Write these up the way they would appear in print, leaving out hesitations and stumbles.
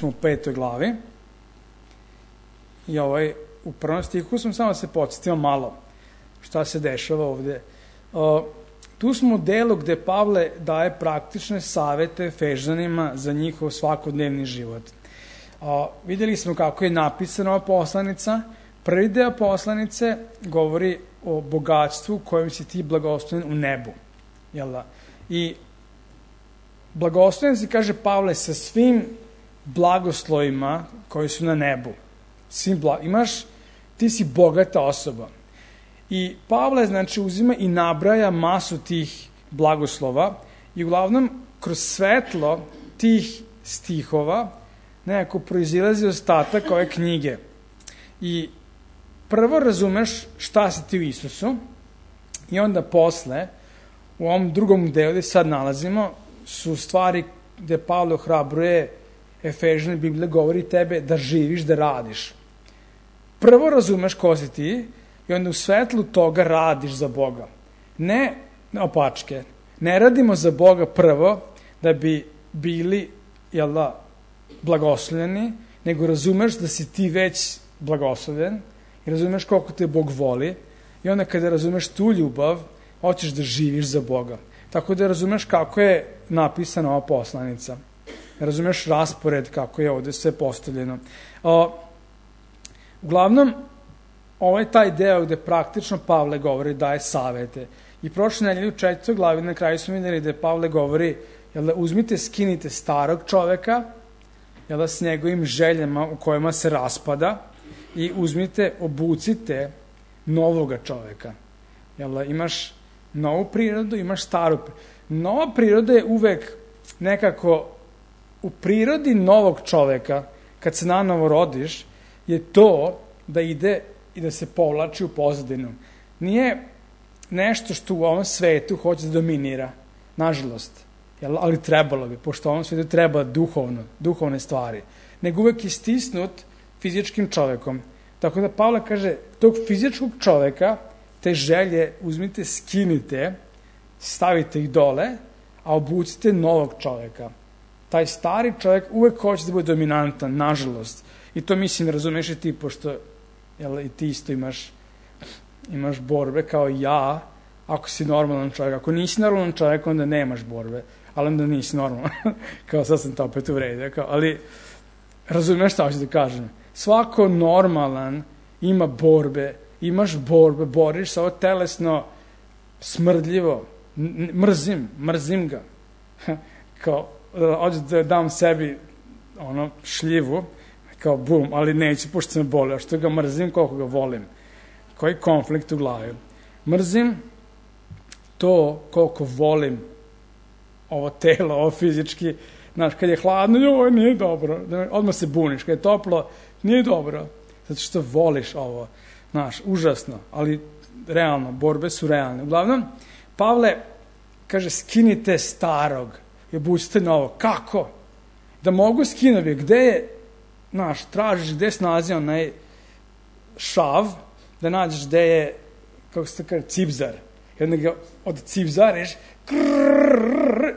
smo u 5. glavi. I u 1. stihu smo samo se podsjetimo malo šta se dešava ovde. Tu smo u delu gde Pavle daje praktične savete Efežanima za njihov svakodnevni život. Videli smo kako je napisana ova poslanica. Prvi deo poslanice govori o bogatstvu kojim si ti blagosloven u nebu. Jel da? I blagosloven si, kaže Pavle, sa svim blagoslovima koji su na nebu. Ti si bogata osoba. I Pavle, znači, uzima i nabraja masu tih blagoslova i uglavnom kroz svetlo tih stihova nekako proizilazi ostatak ove knjige. I prvo razumeš šta si ti u Isusu i onda posle, u ovom drugom delu gde sad nalazimo, su stvari gde Pavle ohrabruje Efežane, Biblija govori tebe da živiš, da radiš. Prvo razumeš ko si ti i onda u svetlu toga radiš za Boga. Ne opačke. Ne radimo za Boga prvo da bi bili, blagoslovljeni, nego razumeš da si ti već blagoslovljen i razumeš koliko te Bog voli i onda kada razumeš tu ljubav, hoćeš da živiš za Boga. Tako da razumeš kako je napisana ova poslanica. Razumeš raspored kako je ovde sve postavljeno. Uglavnom, ovo je taj deo gde praktično Pavle govori, daje savete. I prošle nedelje u 4. glavi na kraju smo videli da Pavle govori, uzmite, skinite starog čoveka, s njegovim željama u kojima se raspada i uzmite, obucite novoga čoveka. Imaš novu prirodu, imaš staru prirodu. Nova priroda je uvek nekako u prirodi novog čoveka, kad se nanovo rodiš, je to da ide i da se povlači u pozadinu. Nije nešto što u ovom svetu hoće da dominira, nažalost, ali trebalo bi, pošto u ovom svetu treba duhovne stvari, nego uvek je stisnut fizičkim čovekom. Tako da Pavle kaže, tog fizičkog čoveka, te želje uzmite, skinite, stavite ih dole, a obucite novog čoveka. Taj stari čovek uvek hoće da bude dominantan, nažalost. I to mislim razumeš i ti, pošto i ti isto imaš borbe kao ja, ako si normalan čovjek. Ako nisi normalan čovjek, onda nemaš borbe, ali onda nisi normalan. Kao sad sam to opet uvredio. Ali razumeš šta hoću da kažem. Svako normalan ima borbe, imaš borbe, boriš se ovo telesno smrdljivo, mrzim ga. Kao, hoću da dam sebi šljivu, kao bum, ali neću, pošto se me boli, a što ga mrzim, koliko ga volim. Koji konflikt u glavi. Mrzim to koliko volim ovo telo, ovo fizički. Znaš, kad je hladno, joj, nije dobro. Odmah se buniš, kad je toplo, nije dobro. Zato što voliš ovo. Znaš, užasno, ali realno, borbe su realne. Uglavnom, Pavle kaže, skinite starog i obucite novo. Kako? Da mogu skinuti, gde je, znaš, tražiš gde se nalazi onaj šav, da nađeš gde je, kako se to kaže, cipzar. I onda ga odcipzariš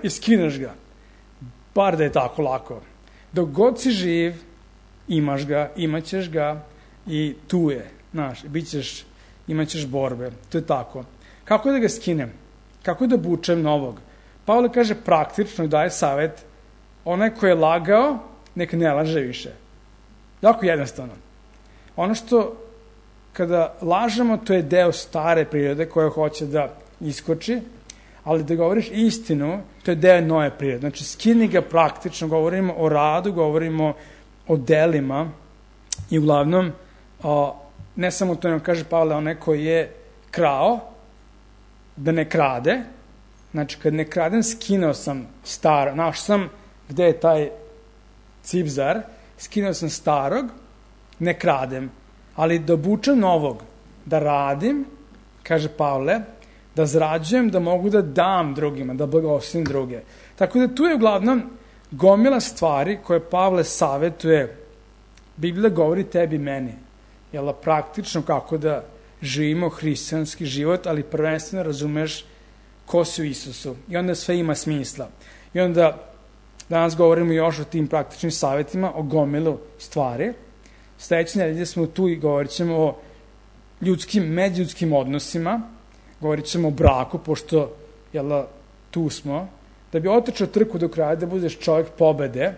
i skineš ga. Bar da je tako lako. Dok god si živ, imaš ga, imaćeš ga i tu je, znaš, imaćeš borbe. To je tako. Kako da ga skinem? Kako da obučem novog? Pavle kaže praktično i daje savet, onaj ko je lagao, neka ne laže više. Jako jednostavno. Ono što kada lažemo, to je deo stare prirode koja hoće da iskoči, ali da govoriš istinu, to je deo nove prirode. Znači, skini ga praktično, govorimo o radu, govorimo o delima i uglavnom, ne samo to nam kaže Pavle, onaj koji je krao, da ne krade. Znači, kad ne kradem, skinuo sam staro, našao sam gde je taj cipzar, skinuo sam starog, ne kradem, ali da obučem novog, da radim, kaže Pavle, da zarađujem, da mogu da dam drugima, da blagoslovim druge. Tako da tu je uglavnom gomila stvari koje Pavle savetuje. Biblija govori tebi i meni. Jel, praktično kako da živimo hrišćanski život, ali prvenstveno razumeš ko si u Isusu. I onda sve ima smisla. I onda Danas govorimo još o tim praktičnim savjetima, o gomilu stvari. Sledeće nedelje smo tu i govorit ćemo o međuljudskim odnosima, govorit ćemo o braku, pošto tu smo, da bi otrčao trku do kraja, da budeš čovjek pobede,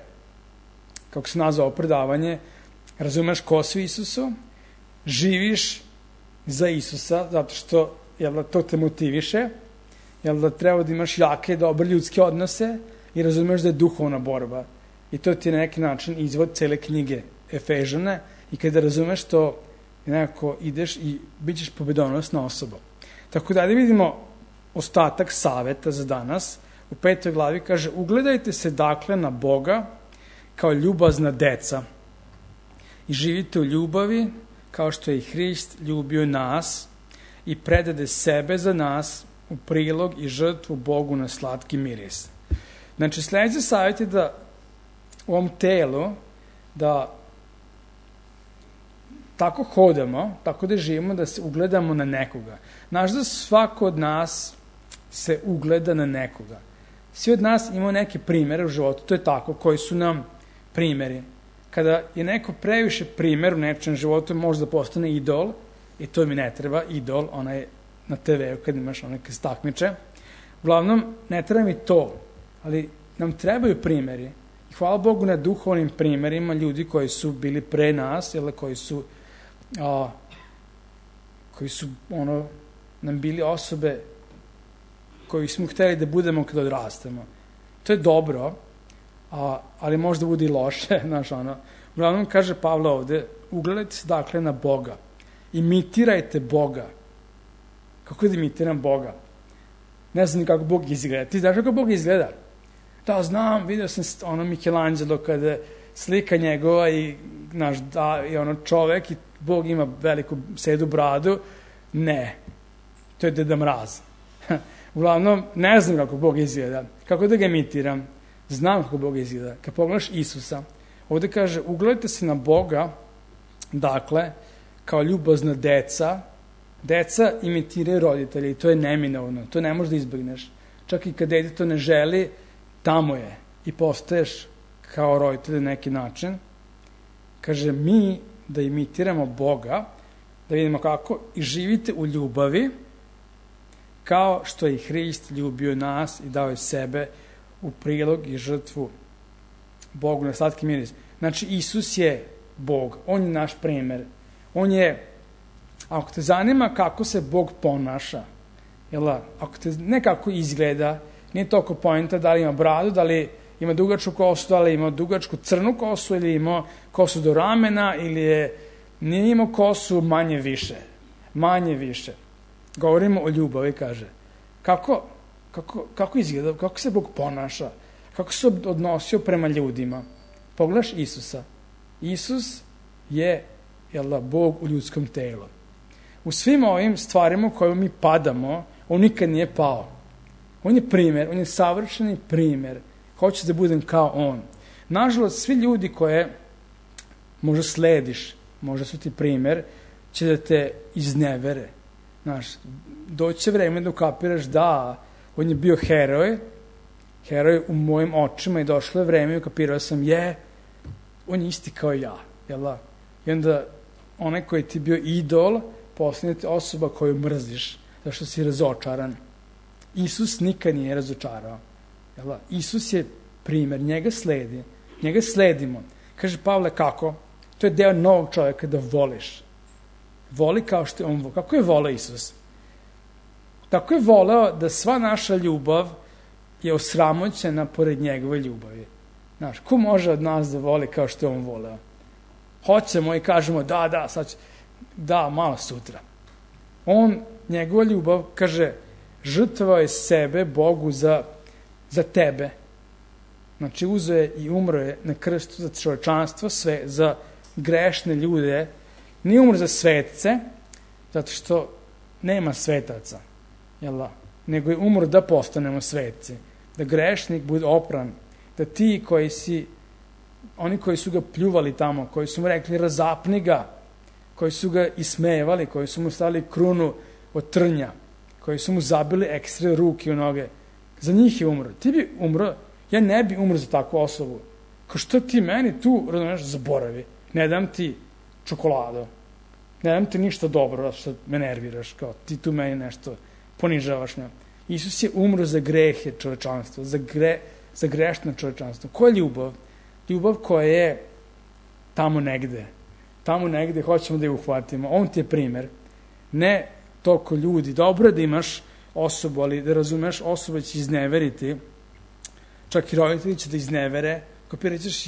kako se nazvao predavanje, razumeš ko si Isusu, živiš za Isusa, zato što to te motiviše, treba da imaš jake, dobre ljudske odnose i razumeš da je duhovna borba. I to ti je na neki način izvod cele knjige Efežane i kada razumeš to, nekako ideš i bit ćeš pobedonosna osoba. Tako da vidimo ostatak saveta za danas. U 5. glavi kaže: ugledajte se dakle na Boga kao ljubazna deca i živite u ljubavi kao što je i Hrist ljubio nas i predade sebe za nas u prilog i žrtvu Bogu na slatki miris. Znači, sledeći savjet je da u ovom telu, da tako hodamo, tako da živimo, da se ugledamo na nekoga. Znaš da svako od nas se ugleda na nekoga. Svi od nas imamo neke primere u životu, to je tako, koji su nam primeri. Kada je neko previše primer u nečem životu, može da postane idol, i to mi ne treba, idol, ona je na TV-u kad imaš neke stakmiče. Uglavnom, ne treba mi to, ali nam trebaju primeri. I hvala Bogu na duhovnim primerima ljudi koji su bili pre nas, koji su nam bili osobe koji smo hteli da budemo kada odrastemo. To je dobro, ali možda bude i loše. Uglavnom, kaže Pavle ovde, ugledajte se dakle na Boga. Imitirajte Boga. Kako da imitiram Boga? Ne znam ni kako Bog izgleda. Ti znaš kako Bog izgleda? Da, znam, vidio sam Michelangelo kada slika njegova i čovek i Bog ima veliku sedu bradu. Ne, to je Deda Mraz. Uglavnom, ne znam kako Bog izgleda. Kako da ga imitiram? Znam kako Bog izgleda. Kad pogledaš Isusa, ovde kaže, ugledajte se na Boga, dakle, kao ljubazna deca. Deca imitiraju roditelje i to je neminovno. To ne možeš da izbegneš. Čak i kad dete to ne želi, tamo je. I postaješ kao roditelj na neki način. Kaže, mi da imitiramo Boga, da vidimo kako, i živite u ljubavi, kao što je i Hrist ljubio nas i dao je sebe u prilog i žrtvu Bogu na slatki miris. Znači, Isus je Bog, on je naš primer. On je, ako te zanima kako se Bog ponaša, ako te ne kako izgleda, nije toliko poenta da li ima bradu, da li ima dugačku kosu, da li ima dugačku crnu kosu, ili ima kosu do ramena, ili nije imao kosu manje više. Manje više. Govorimo o ljubavi, kaže. Kako izgleda, kako se Bog ponaša, kako se odnosio prema ljudima. Pogledaš Isusa. Isus je Bog u ljudskom telu. U svim ovim stvarima u kojima mi padamo, on nikad nije pao. On je primer, on je savršeni primer. Hoćeš da budem kao on. Nažalost, svi ljudi koje možda slediš, možda su ti primer, će da te iznevere. Doći će vreme da ukapiraš da on je bio heroj u mojim očima i došlo je vreme i ukapirao sam on je isti kao ja. I onda onaj koji ti bio idol, postane osoba koju mrziš, zašto si razočaran. Isus nikad nije razočarao. Isus je primer, njega sledimo. Kaže Pavle, kako? To je deo novog čovjeka, da voliš. Voli kao što je on volio. Kako je voleo Isus? Tako je voleo da sva naša ljubav je osramoćena pored njegove ljubavi. Ko može od nas da voli kao što je on voleo? Hoćemo i kažemo da, malo sutra. Njegova ljubav, kaže, žrtvovao je sebe Bogu za tebe. Znači, uzeo je i umro je na krstu za čovečanstvo, sve, za grešne ljude. Nije umro za svetce, zato što nema svetaca, nego je umro da postanemo svetci, da grešnik bude opran, da ti oni koji su ga pljuvali tamo, koji su mu rekli razapni ga, koji su ga ismevali, koji su mu stavili krunu od trnja, koji su mu zabili ekstra ruke u noge, za njih je umro. Ti bi umro Ja ne bi umro za takvu osobu. Kao što ti meni tu, razumeš, zaboravi. Ne dam ti čokoladu. Ne dam ti ništa dobro, što me nerviraš, kao ti tu meni nešto ponižavaš. Ne. Isus je umro za grehe čovečanstva, za grešno čovečanstvo. Koja je ljubav? Ljubav koja je tamo negde. Tamo negde hoćemo da je uhvatimo. On ti je primer. Ne toliko ljudi. Dobro je da imaš osobu, ali da razumeš, osoba će izneveriti. Čak i roditelji će da iznevere. Kopiraćeš,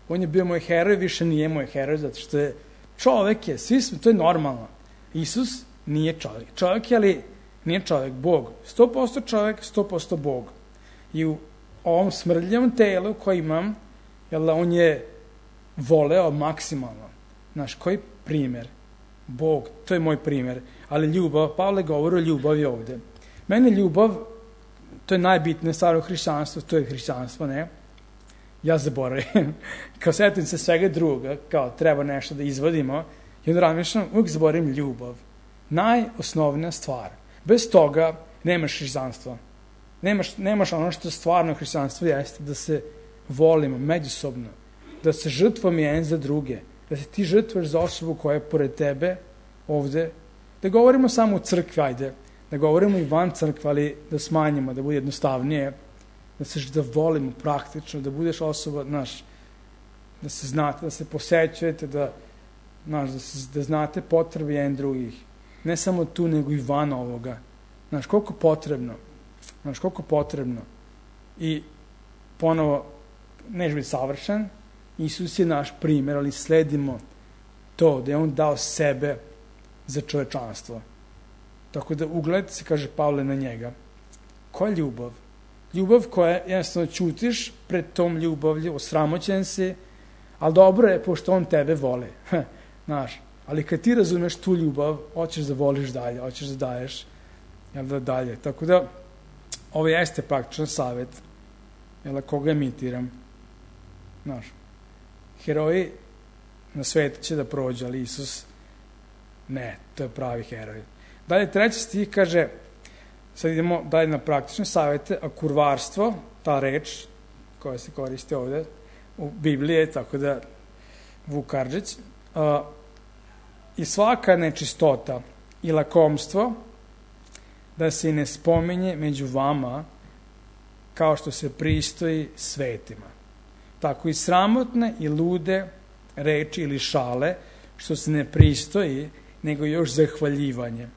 on je bio moj heroj, više nije moj heroj, zato što je čovek je, svi smo, to je normalno. Isus nije čovek. Čovek je, ali nije čovek, Bog. 100% čovek, 100% Bog. I u ovom smrdljivom telu koji imam, on je voleo maksimalno. Znaš, koji primer? Bog, to je moj primer. Ali ljubav, Pavle govori o ljubavi ovde. Mene ljubav, to je najbitnije stvar u hrišćanstvu, to je hrišćanstvo, ne? Ja zaboravim. Kao setim se svega druga, kao treba nešto da izvodimo, i onda razmišljam, uvijek zaboravim ljubav. Najosnovnija stvar. Bez toga nemaš hrišćanstva. Nemaš ono što stvarno hrišćanstvo jeste, da se volimo međusobno, da se žrtvujemo jedan za druge, da se ti žrtvuješ za osobu koja je pored tebe ovde, da govorimo samo u crkvi, ajde, da govorimo i van crkve, ali da smanjimo, da bude jednostavnije, da volimo praktično, da budeš osoba, znaš, da se znate, da se posećujete, da znate potrebe jedan drugih. Ne samo tu, nego i van ovoga. Znaš, koliko potrebno. I ponovo, neš biti savršen, Isus je naš primer, ali sledimo to, da je on dao sebe za čovečanstvo. Tako da ugledajte se, kaže Pavle, na njega. Koja je ljubav? Ljubav koja jednostavno ćutiš pred tom ljubavlju, osramoćen si, ali dobro je, pošto on tebe voli. Znaš, ali kad ti razumeš tu ljubav, hoćeš da voliš dalje, hoćeš da daješ dalje. Tako da, ovo jeste praktičan savjet, koga imitiram. Znaš, heroji na svetu će da prođe, ali Isus ne, to je pravi heroj. Dalje, 3. stih kaže, sad idemo dalje na praktične savjete, a kurvarstvo, ta reč koja se koristi ovde u Bibliji, tako da Vuk Karadžić, i svaka nečistota i lakomstvo da se i ne spominje među vama kao što se pristoji svetima. Tako i sramotne i lude reči ili šale što se ne pristoji, nego još zahvaljivanje.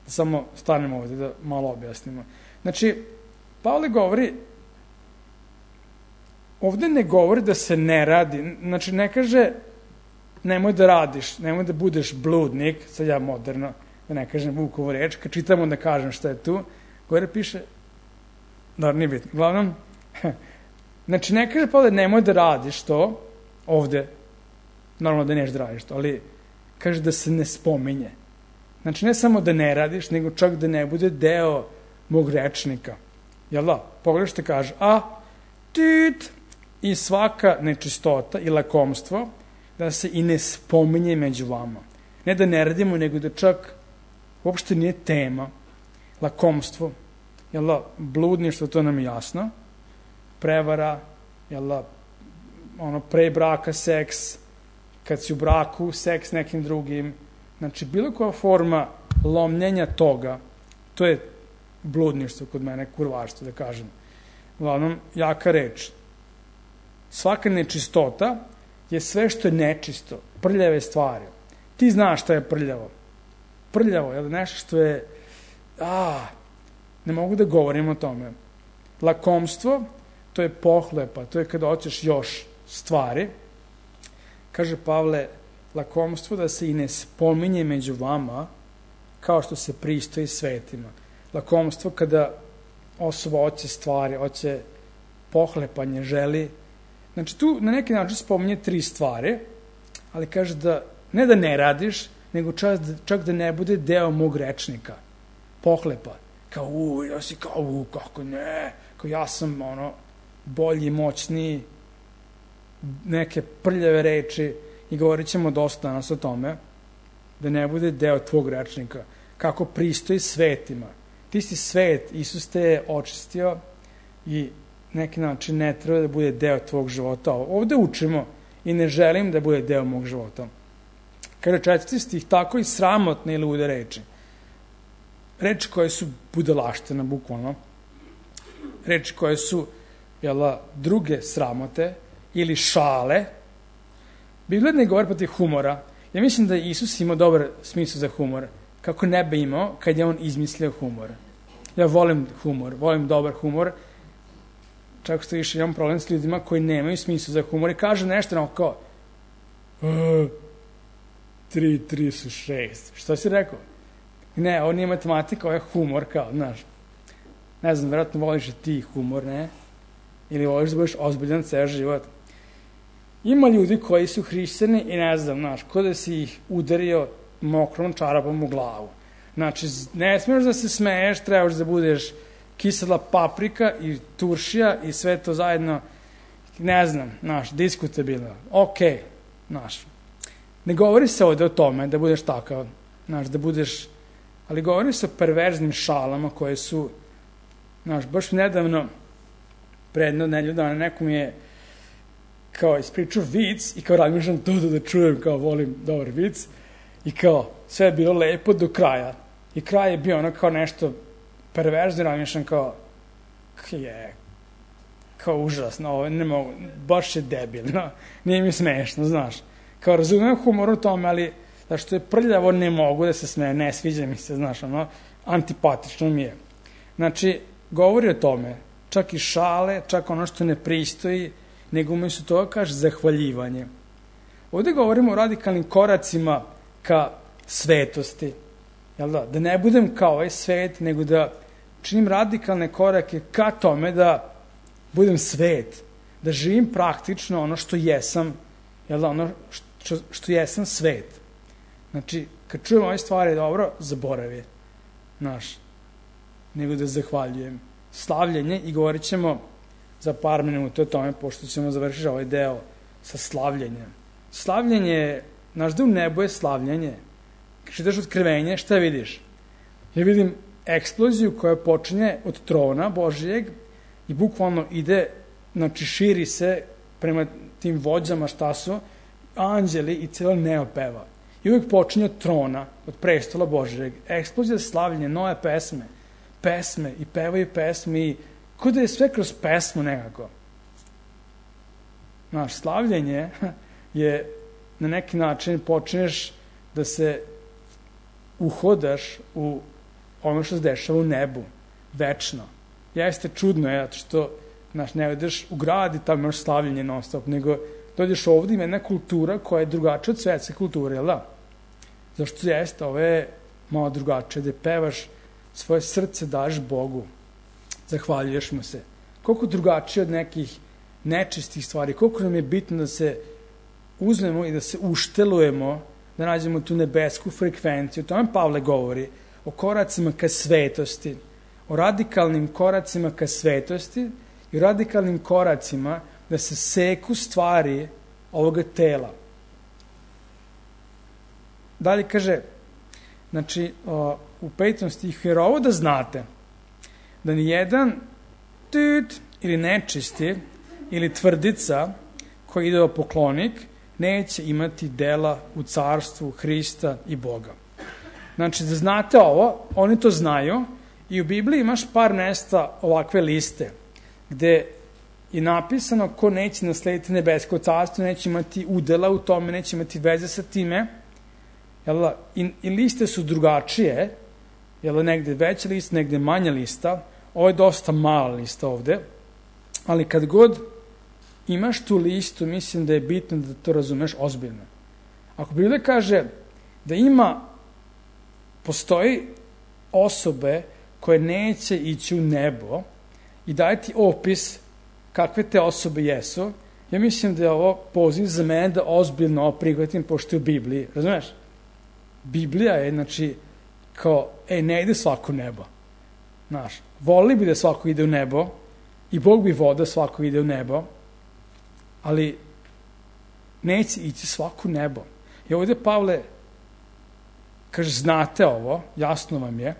Da samo stanemo ovde da malo objasnimo. Znači, Pavle govori, ovde ne govori da se ne radi, znači ne kaže nemoj da radiš, nemoj da budeš bludnik, sad ja moderno, da ne kažem Vukovu reč, kad čitamo da kažem šta je tu, gore piše, da nije bitno, uglavnom, znači ne kaže Pavle nemoj da radiš to, ovde, normalno da neš da radiš to, ali kaže da se ne spominje. Znači ne samo da ne radiš, nego čak da ne bude deo mog rečnika. Jel da? Pogledaj što kaže, i svaka nečistota i lakomstvo da se i ne spominje među vama. Ne da ne radimo, nego da čak uopšte nije tema. Lakomstvo, jel da? Bludništvo, to nam je jasno. Prevara, jel da? Pre braka seks, kad si u braku, seks nekim drugim. Znači, bilo koja forma lomljenja toga, to je bludništvo kod mene, kurvarstvo, da kažem. Uglavnom, jaka reč. Svaka nečistota je sve što je nečisto, prljave stvari. Ti znaš šta je prljavo. Prljavo je nešto što je, ne mogu da govorim o tome. Lakomstvo, to je pohlepa, to je kada hoćeš još stvari. Kaže Pavle, lakomstvo da se i ne spominje među vama kao što se pristoji svetima. Lakomstvo kada osoba hoće stvari, hoće pohlepanje, želi. Znači tu na neki način spominje 3 stvari, ali kaže da ne da ne radiš, nego čak da ne bude deo mog rečnika. Pohlepa. Kao, ja si kao, kako ne, kao ja sam bolji, moćniji, neke prljave reči, i govorit ćemo dosta danas o tome, da ne bude deo tvog rečnika, kako pristoji svetima. Ti si svet, Isus te je očistio i neki način ne treba da bude deo tvog života. Ovde učimo i ne želim da bude deo mog života. Kaže 4. stih, tako i sramotne ili lude reči. Reči koje su budalaštine, bukvalno. Reči koje su druge sramote ili šale. Biblija ne govori protiv humora. Ja mislim da je Isus imao dobar smisao za humor. Kako ne bi imao kad je on izmislio humor. Ja volim humor, volim dobar humor. Čak što više imam problem s ljudima koji nemaju smisla za humor i kažu nešto kao 3 su 6. Što si rekao? Ne, ovo nije matematika, ovo je humor, kao, znaš. Ne znam, vjerojatno voliš i ti humor, ne? Ili voliš da budeš ozbiljan ceo život. Ima ljudi koji su hrišćani i ne znam, znaš, ko da si ih udario mokrom čarapom u glavu. Znači, ne smiješ da se smeješ, trebaš da budeš kisela paprika i turšija i sve to zajedno, ne znam, znaš, diskutabilno. Okej, znaš. Ne govori se ovde o tome da budeš takav, znaš, da budeš, ali govori se o perverznim šalama koje su, znaš, baš nedavno, pre jedno nedelju dana, neko mi je kao ispričao vic i kao razmišljam to da čujem, kao volim dobar vic i kao sve je bilo lepo do kraja i kraj je bio ono kao nešto perverzno, razmišljam kao užasno, ovo ne mogu, baš je debilno, nije mi smešno, znaš. Kao razumem humor u tome, ali zašto je prljavo ne mogu da se smeje, ne sviđa mi se, znaš, ono, antipatično mi je. Znači, govori o tome, čak i šale, čak ono što ne pristoji, nego umjesto toga kaže zahvaljivanje. Ovde govorimo o radikalnim koracima ka svetosti, jel da? Da ne budem kao ovaj svet, nego da činim radikalne korake ka tome da budem svet, da živim praktično ono što jesam, jel da, ono što jesam svet. Znači, kad čujem ove stvari dobro, zaboravi, znaš, nego da zahvaljujem. Slavljenje, i govorit ćemo za par minuta o tome, pošto ćemo završiti ovaj deo sa slavljenjem. Slavljenje, znaš da u nebu je slavljenje. Kad ideš otkrivenje, šta vidiš? Ja vidim eksploziju koja počinje od trona Božijeg i bukvalno ide, znači širi se prema tim vođama šta su, anđeli i cijelo neo peva. I uvijek počinje od trona, od prestola Božijeg. Eksplozija slavljenja, nove pesme i pevaju pesme i kao da je sve kroz pesmu nekako. Znaš, slavljenje je na neki način počneš da se uhodaš u ono što se dešava u nebu, večno. Jeste čudno, zato što, znaš, ne ideš u grad i tamo imaš slavljenje non stop, nego dođeš ovdje, ima jedna kultura koja je drugačija od svetske kulture, jel da? Zašto jeste, ovo je malo drugačije, da pevaš svoje srce, daš Bogu, zahvaljuješ mu se. Koliko drugačije od nekih nečistih stvari, koliko nam je bitno da se uzmemo i da se uštelujemo, da nađemo tu nebesku frekvenciju. O tome Pavle govori, o koracima ka svetosti, o radikalnim koracima ka svetosti i o radikalnim koracima da se seku stvari ovoga tela. Dalje kaže, znači, u 5. stihu, jer ovo da znate, da ni jedan ili nečisti ili tvrdica koji ide o poklonik neće imati dela u carstvu Hrista i Boga. Znači, da znate ovo, oni to znaju i u Bibliji imaš par mesta ovakve liste, gde je napisano ko neće naslediti nebesko carstvo, neće imati udela u tome, neće imati veze sa time, i liste su drugačije, negde veća lista, negde manja lista, ovo je dosta mala lista ovde, ali kad god imaš tu listu, mislim da je bitno da to razumeš ozbiljno. Ako Biblija kaže da postoji osobe koje neće ići u nebo i daje ti opis kakve te osobe jesu, ja mislim da je ovo poziv za mene da ozbiljno prihvatim pošto je u Bibliji, razumeš? Biblija je, znači, kao, ne ide svako u nebo. Znaš, volili bi da svako ide u nebo i Bog bi volio da svako ide u nebo, ali neće ići svako u nebo. I ovdje Pavle kaže, znate ovo, jasno vam je,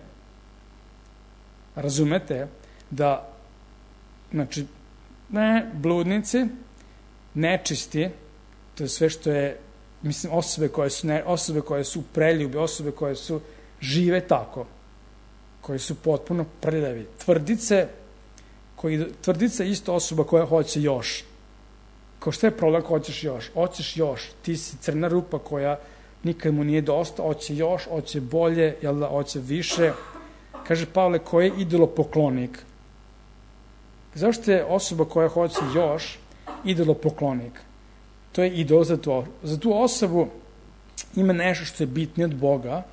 razumete da znači, ne, bludnici, nečisti, to je sve što je, mislim, osobe koje su preljubi, osobe koje su žive tako, koji su potpuno prljavi. Tvrdica je isto osoba koja hoće još. Kao što je problem, hoćeš još? Hoćeš još. Ti si crna rupa koja nikad mu nije dosta, hoće još, hoće bolje, jel da, hoće više. Kaže Pavle, ko je idolopoklonik? Zašto je osoba koja hoće još idolopoklonik? To je idol za tu osobu ima nešto što je bitnije od Boga,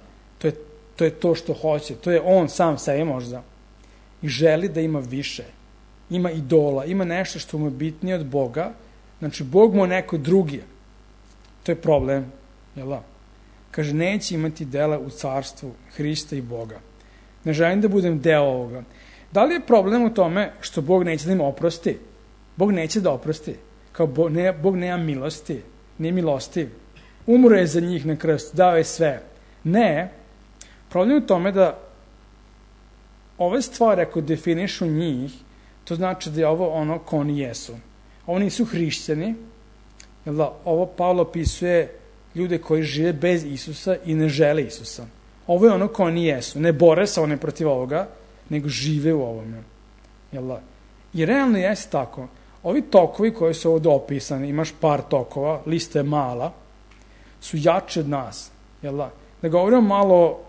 to je to što hoće, to je on sam sebi možda i želi da ima više, ima idola, ima nešto što mu je bitnije od Boga, znači Bog mu je neko drugi, to je problem, jel da? Kaže, neće imati dela u carstvu Hrista i Boga. Ne želim da budem deo ovoga. Da li je problem u tome što Bog neće da im oprosti? Bog neće da oprosti. Kao Bog nema milosti, nije milostiv. Umro je za njih na krstu, dao je sve. Ne, problem je u tome da ove stvari, ako definišu njih, to znači da je ovo ono ko oni jesu. Ovo nisu hrišćani, jer da ovo Pavlo opisuje ljude koji žive bez Isusa i ne žele Isusa. Ovo je ono ko oni jesu. Ne bore se one protiv ovoga, nego žive u ovome. Jel da? I realno jeste tako. Ovi tokovi koji su ovdje opisani, imaš par tokova, lista je mala, su jači od nas. Jel da? Da govorimo malo o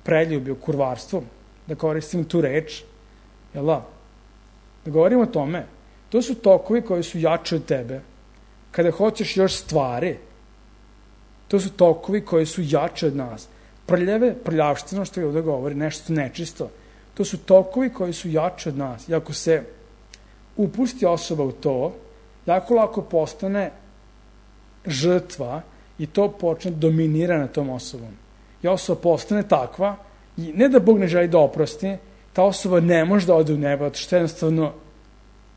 preljubi, o kurvarstvu, da koristim tu reč, jel da? Da govorimo o tome, to su tokovi koji su jači od tebe. Kada hoćeš još stvari, to su tokovi koji su jači od nas. Prljavština, što je ovdje govori, nešto nečisto, to su tokovi koji su jači od nas. I ako se upusti osoba u to, jako lako postane žrtva i to počne dominira na tom osobom. I osoba postane takva, i ne da Bog ne želi da oprosti, ta osoba ne može da ode u nebo, što jednostavno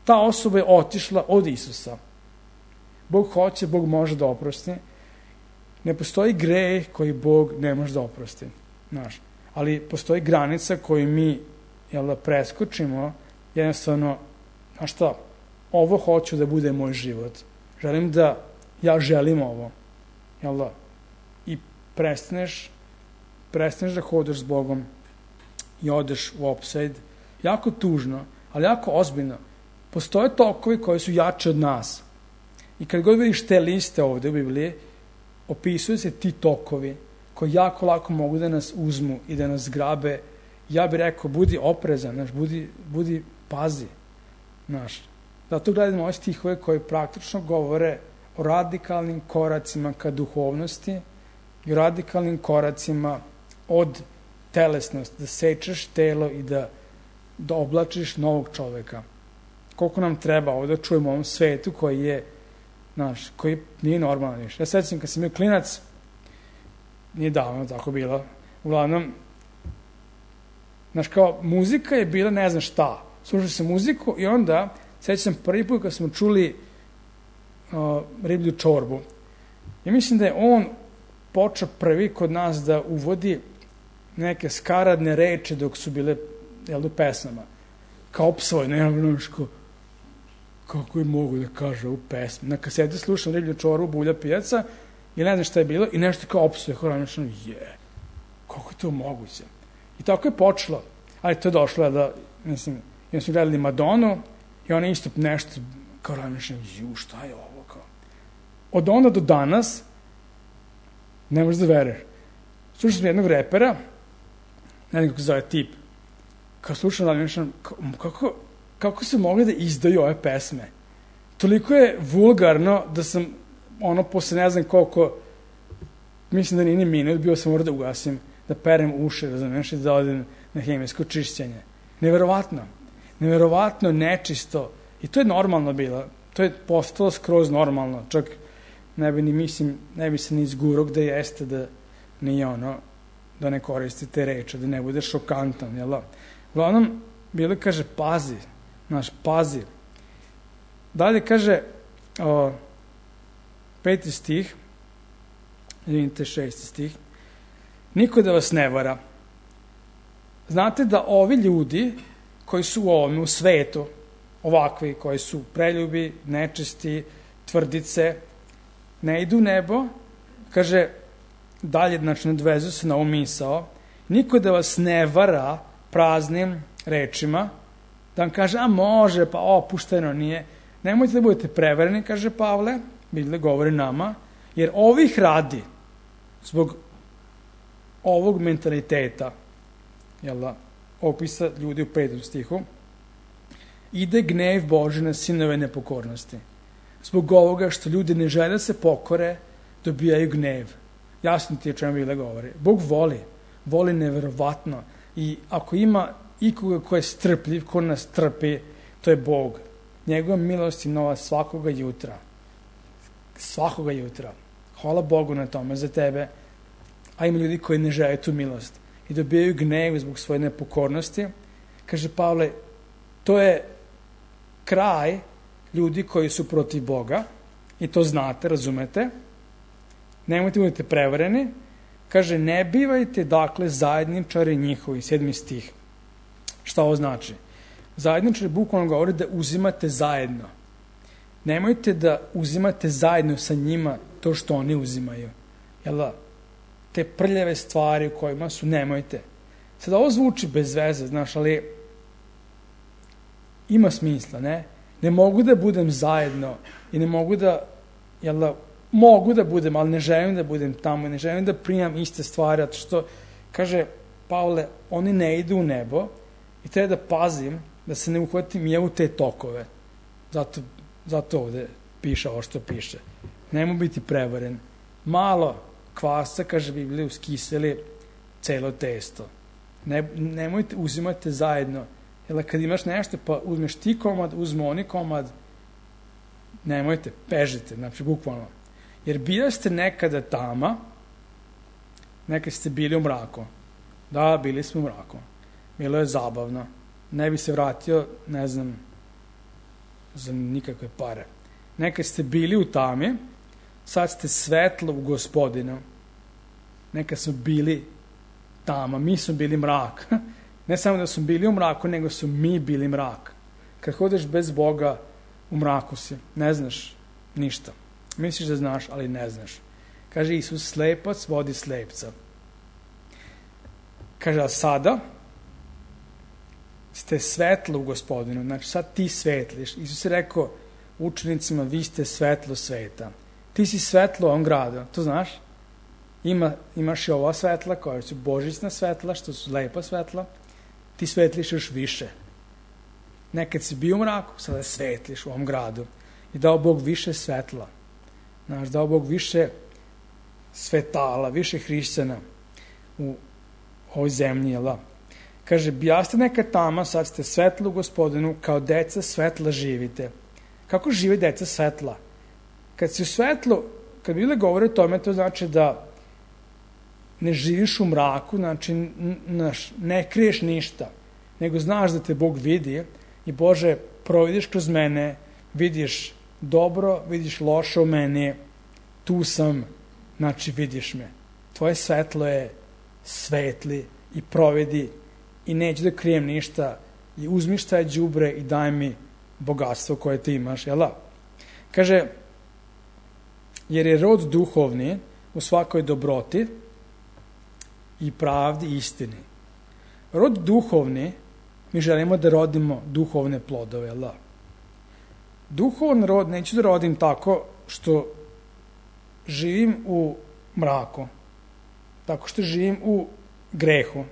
ta osoba je otišla od Isusa. Bog hoće, Bog može da oprosti. Ne postoji greh koji Bog ne može da oprosti. Znaš. Ali postoji granica koju mi preskočimo, jednostavno, znaš šta, ovo hoću da bude moj život. Ja želim ovo. Jel da? I prestaneš da hodaš s Bogom i odeš u opsajd. Jako tužno, ali jako ozbiljno. Postoje tokovi koji su jači od nas. I kad god vidiš te liste ovde u Bibliji, opisuju se ti tokovi koji jako lako mogu da nas uzmu i da nas grabe. Ja bih rekao, budi oprezan, znaš, budi pazi. Znaš. Zato gledamo ove stihove koji praktično govore o radikalnim koracima ka duhovnosti i o radikalnim koracima od telesnosti, da sečeš telo i da oblačiš novog čoveka. Koliko nam treba ovdje čujemo u ovom svetu koji je, znaš, koji nije normalan više. Ja sećam kad sam bio klinac, nije davno tako bilo, uglavnom, znaš, kao muzika je bila ne znam šta. Slušao sam muziku i onda, sećam prvi put kad smo čuli riblju čorbu. Ja mislim da je on počeo prvi kod nas da uvodi neke skaradne reči dok su bile, u pesmama. Kao opsvoj, kako je mogu da kaže u pesmi. Na kaseti slušam riblju čorbu, Bulja pijaca i ne znam šta je bilo i nešto kao opsvoj. Kako je to moguće? I tako je počelo. Ali to je došlo da, mislim, ja smo gledali Madonu i ona isto nešto kao razmišljam, šta je ovo? Kao. Od onda do danas ne možeš da veruješ. Slušao sam jednog repera, ne znam kako se zove tip, kao slušam razmišljam, kako se mogli da izdaju ove pesme? Toliko je vulgarno da sam, posle ne znam koliko, mislim da nije ni minut, bio sam morao da ugasim, da perem uši, razumiješ, i da odem na hemijsko čišćenje. Neverovatno nečisto. I to je normalno bilo. To je postalo skroz normalno. Čak ne bi se ni izgurao gde jeste da nije da ne koristi te reče, da ne bude šokantan, jel da? Uglavnom, bilo kaže, pazi, pazi. Dalje kaže, 5. stih, 6. stih, niko da vas ne vara. Znate da ovi ljudi koji su u svetu, ovakvi koji su preljubi, nečisti, tvrdice, ne idu u nebo, kaže, dalje, znači, nadvezu se na ovu misao, niko da vas ne vara praznim rečima, da vam kaže, a može, pa opušteno nije. Nemojte da budete prevareni, kaže Pavle, Biblija govori nama, jer ovih radi, zbog ovog mentaliteta, opisa ljudi u 5. stihu, ide gnev Božji na sinove nepokornosti. Zbog ovoga što ljudi ne žele da se pokore, dobijaju gnev. Jasno ti je o čemu Biblija govori. Bog voli neverovatno. I ako ima ikoga ko je strpljiv, ko nas trpi, to je Bog. Njegova milost je nova svakoga jutra. Svakoga jutra. Hvala Bogu na tome za tebe. A ima ljudi koji ne žele tu milost i dobijaju gnev zbog svoje nepokornosti. Kaže Pavle, to je kraj ljudi koji su protiv Boga i to znate, razumete. Nemojte budete prevareni. Kaže, ne bivajte dakle zajedničari njihovi, 7. stih. Šta ovo znači? Zajedničari bukvalno govori da uzimate zajedno. Nemojte da uzimate zajedno sa njima to što oni uzimaju. Jel da? Te prljave stvari u kojima su, nemojte. Sad ovo zvuči bez veze, znaš, ali ima smisla, ne? Ne mogu da budem zajedno i ne mogu da, jel da, mogu da budem, ali ne želim da budem tamo, ne želim da primam iste stvari, zato što, kaže Pavle, oni ne idu u nebo i treba da pazim da se ne uhvatim ja u te tokove. Zato ovde piše ovo što piše. Nemo biti prevaren. Malo kvasa, kaže Biblija, uskiseli celo testo. Nemojte uzimati zajedno. Jer kad imaš nešto, pa uzmeš ti komad, uzmu oni komad, nemojte, pežite, znači bukvalno. Jer bili ste nekada tama, nekad ste bili u mraku. Da, bili smo u mraku. Bilo je zabavno. Ne bi se vratio, ne znam, za nikakve pare. Nekad ste bili u tami, sad ste svetlo u Gospodinu. Nekad smo bili tama, mi smo bili mrak. Ne samo da smo bili u mraku, nego su mi bili mrak. Kad hodeš bez Boga, u mraku si. Ne znaš ništa. Misliš da znaš, ali ne znaš. Kaže Isus, slepac vodi slepca. Kaže, a sada ste svetlo u Gospodinu. Znači, sad ti svetliš. Isus je rekao učenicima, vi ste svetlo sveta. Ti si svetlo u ovom gradu. To znaš? Imaš i ova svetla koja su božićna svetla, što su lepa svetla. Ti svetliš još više. Nekad si bio u mraku, sada svetliš u ovom gradu. I dao Bog više svetla. Znaš, dao Bog više svetala, više hrišćana u ovoj zemlji, jel da? Kaže, bijaste neka tama, sad ste svetlo u Gospodinu, kao deca svetla živite. Kako žive deca svetla? Kad si u svetlu, kad Biblia govori o tome, to znači da ne živiš u mraku, znači ne kriješ ništa, nego znaš da te Bog vidi i Bože, providiš kroz mene, vidiš dobro, vidiš loše u meni, tu sam, znači vidiš me. Tvoje svetlo je svetli i providi i neću da krijem ništa i uzmi šta je đubre i daj mi bogatstvo koje ti imaš, jel da? Kaže, jer je rod duhovni u svakoj dobroti i pravdi i istini. Rod duhovni, mi želimo da rodimo duhovne plodove, jel da? Duhovan rod neću da rodim tako što živim u mraku, tako što živim u grehu.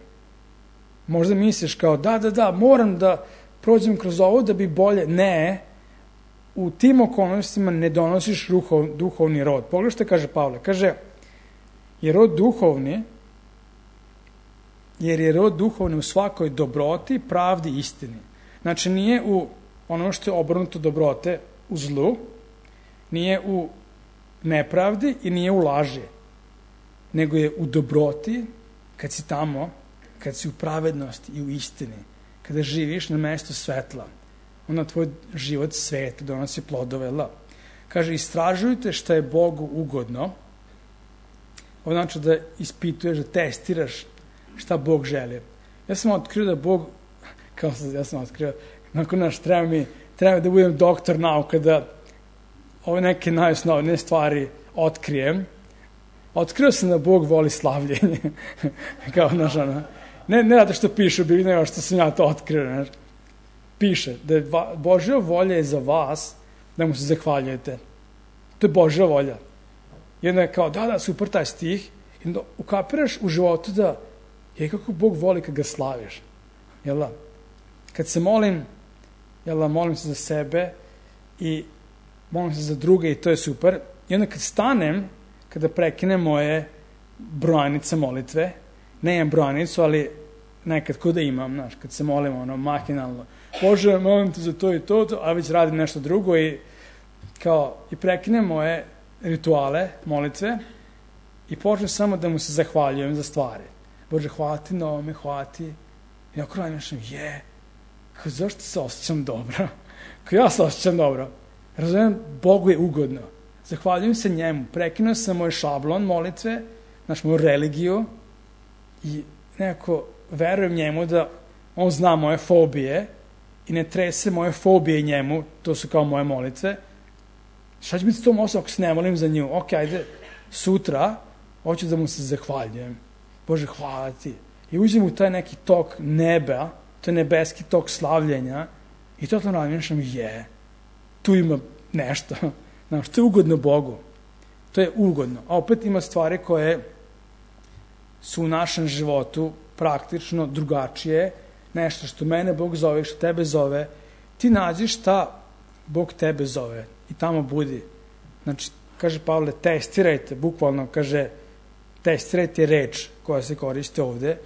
Možda misliš kao, da, moram da prođem kroz ovo da bi bolje. Ne, u tim okolnostima ne donosiš duhovni rod. Pogledaj što kaže Pavle. Kaže, jer je rod duhovni u svakoj dobroti, pravdi i istini. Znači, nije u ono što je obrnuto dobrote u zlu, nije u nepravdi i nije u laži, nego je u dobroti, kad si tamo, kad si u pravednosti i u istini, kada živiš na mestu svetla, onda tvoj život svet donosi plodove. Kaže, istražujte šta je Bogu ugodno. Ovo znači da ispituješ, da testiraš šta Bog želi. Ja sam otkrio da Bog, nakon treba mi treba da budem doktor nauka, da ove neke najosnovnije stvari otkrijem. Otkrio sam da Bog voli slavljenje. Kao, znaš, ne zato što piše u Bibliji, nego što sam ja to otkrio, znaš. Piše da je Božja volja je za vas da mu se zahvaljujete. To je Božja volja. I onda je kao, da, super taj stih. I onda ukapiraš u životu da je kako Bog voli kad ga slaviš. Jel da? Kad se molim, jel da, molim se za sebe i molim se za druge i to je super. I onda kad stanem, kada prekinem moje brojanice molitve, ne imam brojanicu, ali nekad kuda imam, znaš, kad se molim mahinalno, Bože, molim te za to i to, a već radim nešto drugo i prekinem moje rituale, molitve i počnem samo da mu se zahvaljujem za stvari. Bože, hvala ti na ovome, hvala ti. I ako radim nešto, zašto se osjećam dobro? Kao ja se osjećam dobro. Razumijem, Bogu je ugodno. Zahvaljujem se njemu. Prekinuo sam moj šablon molitve, znači moju religiju i nekako verujem njemu da on zna moje fobije i ne trese moje fobije njemu, to su kao moje molitve. Šta će biti s tom osobom ako se ne molim za nju? Ok, ajde, sutra hoću da mu se zahvaljujem. Bože, hvala ti. I uđem u taj neki tok neba, to je nebeski tok slavljenja i to razmišljam, tu ima nešto. Znaš, to je ugodno Bogu. To je ugodno. A opet ima stvari koje su u našem životu praktično drugačije, nešto što mene Bog zove, što tebe zove. Ti nađi šta Bog tebe zove i tamo budi. Znači, kaže Pavle, testirajte, bukvalno kaže, testirajte reč koja se koriste ovde,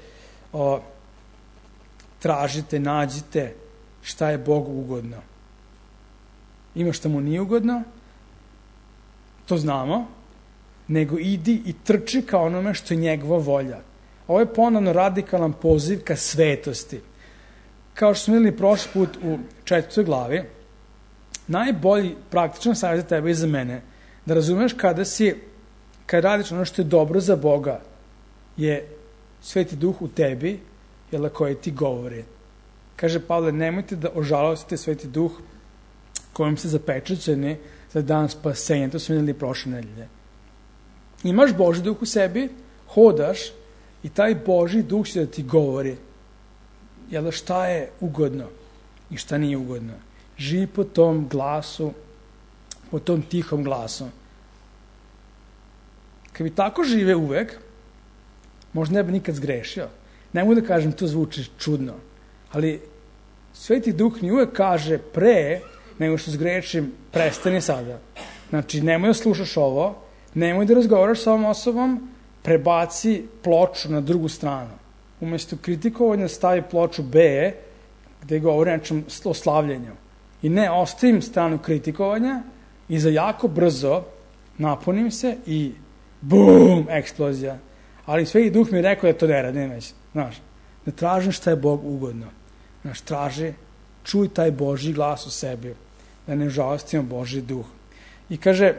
tražite, nađite šta je Bogu ugodno. Ima šta mu nije ugodno, to znamo, nego idi i trči ka onome što je njegova volja. Ovo je ponovno radikalan poziv ka svetosti. Kao što smo videli prošli put u 4. glavi, najbolji praktičan savjet za tebe i za mene, da razumeš kada radiš ono što je dobro za Boga, je Sveti Duh u tebi, jel, koji ti govori. Kaže Pavle, nemojte da ožalostite Sveti Duh kojim ste zapečaćeni za dan spasenja. To smo videli prošle nedelje. Imaš Božji Duh u sebi, hodaš i taj Božji Duh će da ti govori, jel, šta je ugodno i šta nije ugodno. Živi po tom glasu, po tom tihom glasu. Kad bi tako žive uvek, možda ne bi nikad zgrešio. Ne mogu da kažem, to zvuči čudno, ali Sveti Duh mi uvek kaže pre nego što zgrešim, prestani sada. Znači, nemoj da slušaš ovo, nemoj da razgovaraš sa ovom osobom, prebaci ploču na drugu stranu. Umesto kritikovanja stavi ploču B, gde govori nečem o slavljenju. I ne ostavim stranu kritikovanja i za jako brzo napunim se i bum, eksplozija. Ali Sveti Duh mi je rekao da to ne radim već. Znaš, da tražim šta je Bog ugodno. Znaš, traži, čuj taj Božji glas u sebi, da ne žalostimo Božji Duh. I kaže,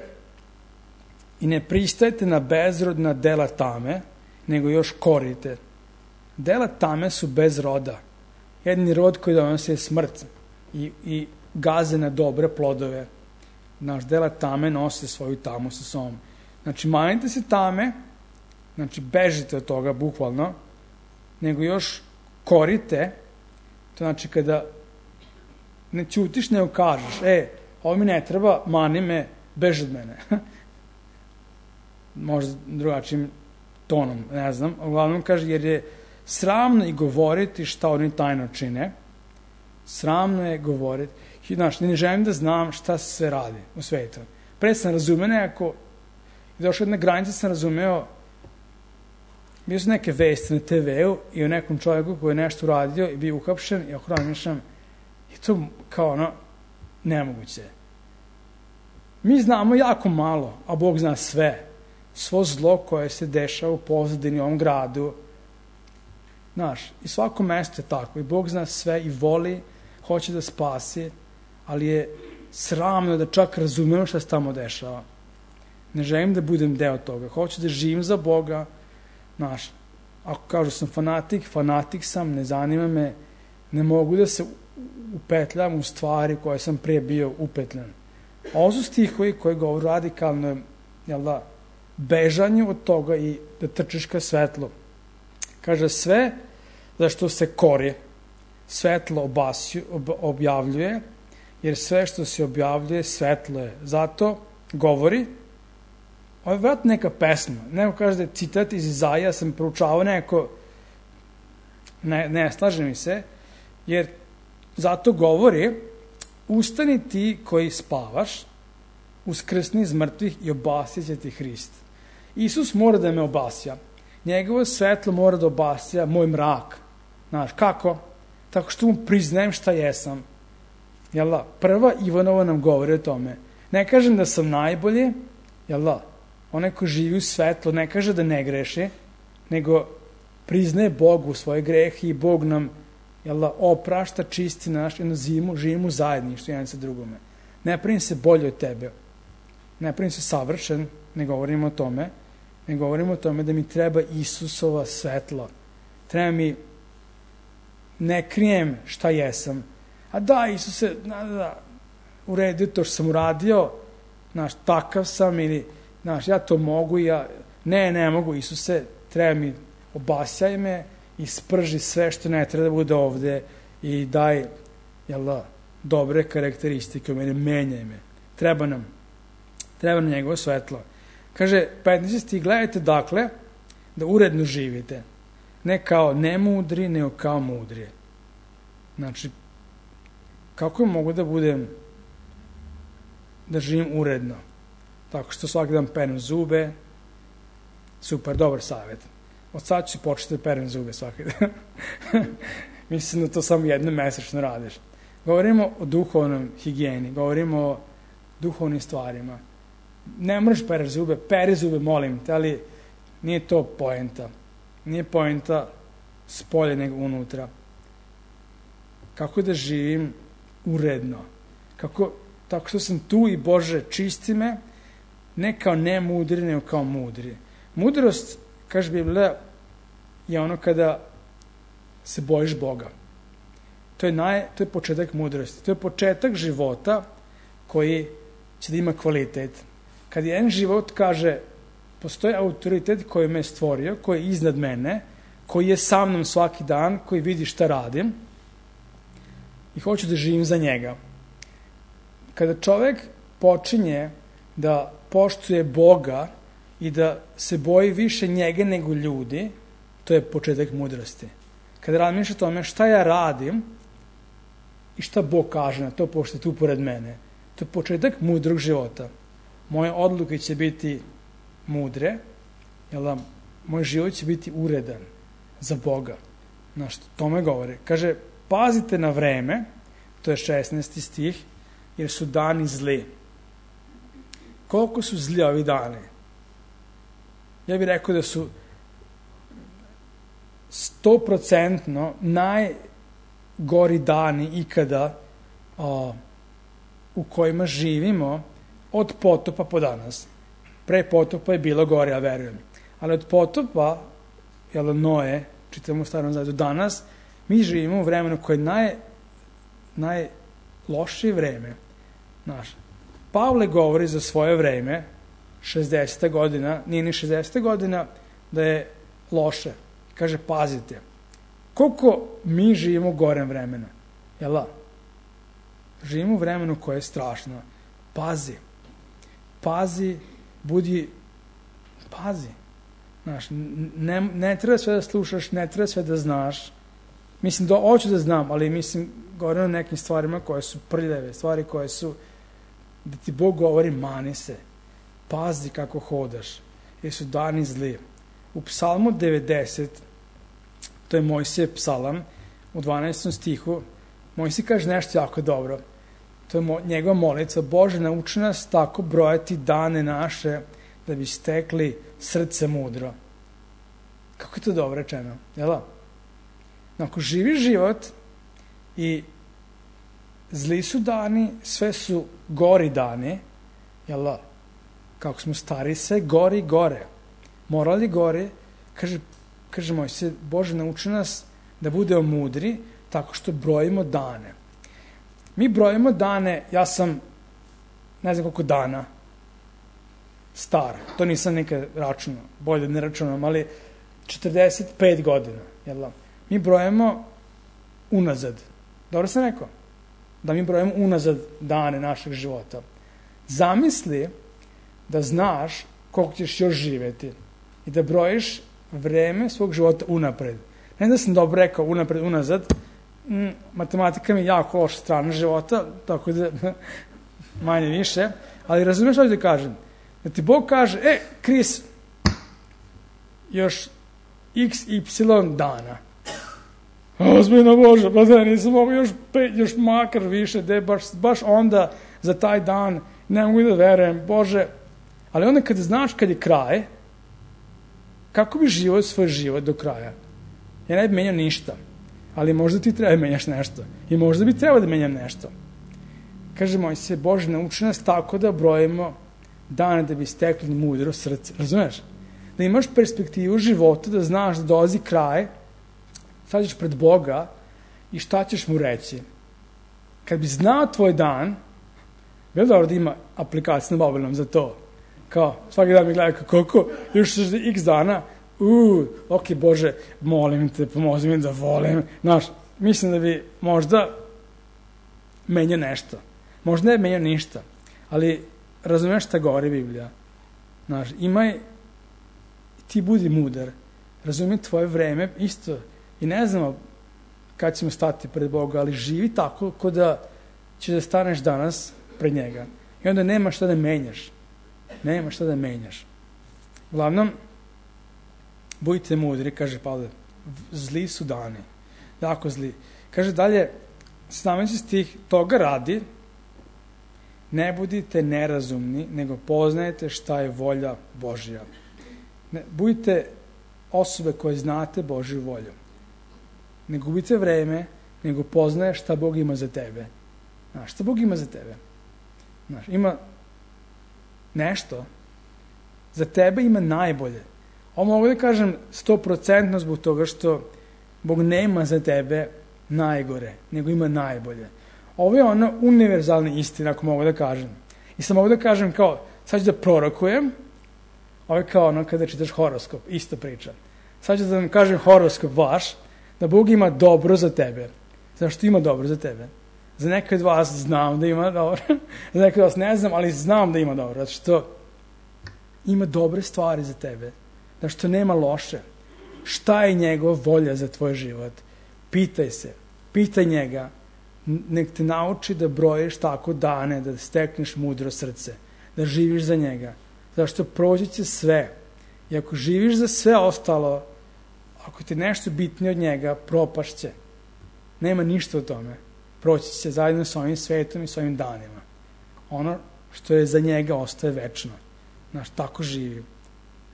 i ne pristajte na bezrodna dela tame, nego još korite. Dela tame su bez roda. Jedni rod koji donosi je smrt i gaze na dobre plodove. Naš dela tame nose svoju tamu sa sobom. Znači, manite se tame, znači, bežite od toga, bukvalno, nego još korite, to znači kada ne ćutiš, nego kažeš, ovo mi ne treba, mani me, beži od mene. Možda drugačijim tonom, ne znam. Uglavnom kaže, jer je sramno i govoriti šta oni tajno čine. Sramno je govoriti. Znaš, ne želim da znam šta se sve radi u svetu. Pre sam razumeo nekako, i došao jedna granica sam razumeo, bio su neke vesti na TV-u i o nekom čovjeku koji je nešto uradio i bio uhapšen i ako razmišljam, je to kao nemoguće. Mi znamo jako malo, a Bog zna sve. Svo zlo koje se dešava u pozadini u ovom gradu. Znaš, i svako mesto je tako. I Bog zna sve i voli, hoće da spasi, ali je sramno da čak razumemo šta se tamo dešava. Ne želim da budem deo toga. Hoću da živim za Boga. Znaš, ako kažu sam fanatik sam, ne zanima me, ne mogu da se upetljam u stvari koje sam prije bio upetljan. Ovo su stihovi koji govore radikalno, bežanju od toga i da trčiš ka svetlu. Kaže, sve za što se kori, svetlo objavljuje, jer sve što se objavljuje, svetlo je. Zato govori, ovo je vrat neka pesma, neko kaže da je citat iz Izaija, sam proučavao neko, ne slaže mi se, jer zato govori, ustani ti koji spavaš, uskrsni iz mrtvih i obasja će ti Hrist. Isus mora da me obasja. Njegovo svetlo mora da obasja moj mrak. Znaš, kako? Tako što mu priznajem šta jesam. Jel da? Prva Ivanova nam govori o tome. Ne kažem da sam najbolji, jel da? Onaj ko živi u svetlo ne kaže da ne greši, nego priznaje Bogu svoje grehe i Bog nam oprašta, čisti naš, jedno živimo u zajedništvu jedan sa drugome. Ne pravim se bolje od tebe. Ne pravim se savršen, ne govorimo o tome. Ne govorimo o tome da mi treba Isusova svetla. Treba mi, ne krijem šta jesam. A da, Isuse, u redu to što sam uradio, takav sam ili, ja to mogu, ne mogu, Isuse, treba mi, obasjaj me i sprži sve što ne treba da bude ovde i daj, dobre karakteristike u mene, menjaj me. Treba nam njegovo svetlo. Kaže, 15. gledajte dakle da uredno živite. Ne kao nemudri, nego kao mudri. Znači, kako mogu da živim uredno? Tako što svaki dan perem zube. Super, dobar savjet. Od sad ću početi da perem zube svaki dan. Mislim da to samo jednom mesečno radiš. Govorimo o duhovnom higijeni, govorimo o duhovnim stvarima. Ne moraš peri zube, molim te, ali nije to poenta. Nije poenta spolje nego unutra. Kako da živim uredno? Tako što sam tu i Bože, čisti me, ne kao nemudri, nego kao mudri. Mudrost, kaže Biblija, je ono kada se bojiš Boga. To je početak mudrosti. To je početak života koji će da ima kvalitet. Kad jedan život kaže, postoji autoritet koji me je stvorio, koji je iznad mene, koji je sa mnom svaki dan, koji vidi šta radim i hoću da živim za njega. Kada čovek počinje da poštuje Boga i da se boji više njega nego ljudi, to je početak mudrosti. Kada razmišljaš o tome šta ja radim i šta Bog kaže na to, pošto je tu pored mene, to je početak mudrog života. Moje odluke će biti mudre, moj život će biti uredan za Boga. Tome govori. Kaže, pazite na vreme, to je 16. stih, jer su dani zli. Koliko su zli ovi dani? Ja bih rekao da su 100% najgori dani ikada u kojima živimo od potopa po danas. Pre potopa je bilo gore, ja verujem. Ali od potopa, Noe, čitamo u Starom Zavetu, danas, mi živimo u vremenu koje je najlošije vreme. Pavle govori za svoje vreme, 60. godina, nije ni 60. godina, da je loše. Kaže, pazite, koliko mi živimo u gorem vremena. Živimo u vremenu koje je strašno. Pazi, pazi. Ne treba sve da slušaš, ne treba sve da znaš. Mislim, hoću da znam, ali govorim o nekim stvarima koje su prljave, stvari koje su, da ti Bog govori, mani se. Pazi kako hodaš, jer su dani zli. U Psalmu 90, to je Mojsijev psalam, u 12. stihu, Mojsije kaže nešto jako dobro. To je njegova molitva. Bože, nauči nas tako brojati dane naše da bi stekli srce mudro. Kako je to dobro rečeno? Ako živiš život i zli su dani, sve su gori dani, kako smo stari, sve gori i gore. Moral je gore, kaže Mojsije, Bože, nauči nas da budemo mudri tako što brojimo dane. Mi brojimo dane, ja sam ne znam koliko dana star, to nisam nikad računao, bolje ne računam, ali 45 godina, jel da? Mi brojimo unazad. Dobro sam rekao? Da mi brojimo unazad dane našeg života. Zamisli da znaš koliko ćeš još živjeti i da brojiš vreme svog života unapred. Ne da sam dobro rekao unapred, unazad, matematika mi je jako loša strana života, tako da manje više, ali razumiješ što ću da kažem? Da ti Bog kaže, Kris, još XY dana. Ozbiljno Bože, pa da nisam mogu još makar više, baš onda za taj dan ne mogu da verujem, Bože. Ali onda kad znaš kad je kraj, kako bi živio svoj život do kraja? Ja ne bi menjao ništa, ali možda ti treba da menjaš nešto. I možda bi trebao da menjam nešto. Kaže Mojsije, Bože, nauči nas tako da brojimo dane da bi stekli mudro srce. Razumeš? Da imaš perspektivu života, da znaš da dolazi kraj, sad ćeš pred Boga i šta ćeš mu reći. Kad bi znao tvoj dan, bilo dobro da ima aplikacija na mobilnom za to. Kao, svaki dan mi gleda koliko, još x dana, ok, Bože, molim te, pomozi mi da volim. Znaš, mislim da bi možda menjao nešto. Možda ne menjao ništa, ali razumeš šta govori Biblija. Znaš, ti budi mudar, razumij tvoje vreme isto. I ne znamo kad ćemo stati pred Boga, ali živi tako ko da ćeš da staneš danas pred njega. I onda nema šta da menjaš. Nema šta da menjaš. Uglavnom, budite mudri, kaže Pavle. Zli su dani. Jako zli. Kaže dalje, 17. stih, toga radi, ne budite nerazumni, nego poznajete šta je volja Božja. Budite osobe koje znate Božju volju. Ne gubite vreme, nego poznaješ šta Bog ima za tebe. Znaš, šta Bog ima za tebe? Znaš, ima nešto. Za tebe ima najbolje. Ovo mogu da kažem 100% zbog toga što Bog nema za tebe najgore, nego ima najbolje. Ovo je ona univerzalna istina, ako mogu da kažem. I sam mogu da kažem kao, sad ću da prorokujem, ovo je kao ono kada čitaš horoskop, isto priča. Sad ću da vam kažem horoskop vaš, da Bog ima dobro za tebe. Zašto ima dobro za tebe? Za neke od vas znam da ima dobro, za neke od vas ne znam, ali znam da ima dobro, zato što ima dobre stvari za tebe, zato što nema loše. Šta je njegova volja za tvoj život? Pitaj se, pitaj njega, nek te nauči da brojiš tako dane, da stekneš mudro srce, da živiš za njega, zato što proći će sve. I ako živiš za sve ostalo, ako ti nešto bitnije od njega, propašće. Nema ništa o tome. Proći će zajedno s ovim svetom i s ovim danima. Ono što je za njega ostaje večno. Znaš, tako živi.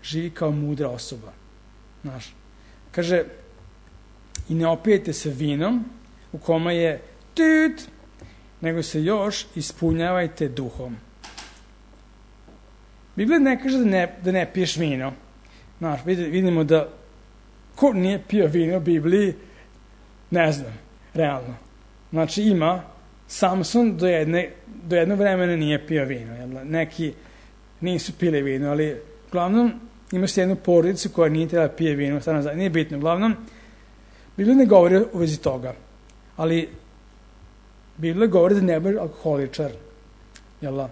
Živi kao mudra osoba. Znaš, kaže, i ne opijete se vinom u kome je tut, nego se još ispunjavajte duhom. Biblija ne kaže da ne piješ vino. Znaš, vidimo da ko nije pio vino u Bibliji, ne znam, realno. Znači ima, Samson do jednog vremena nije pio vino. Jel? Neki nisu pili vino, ali uglavnom imaš jednu porodicu koja nije trebala pije vino, nije bitno. Uglavnom, Biblija ne govori u vezi toga, ali Biblija govori da ne budeš alkoholičar. Jel?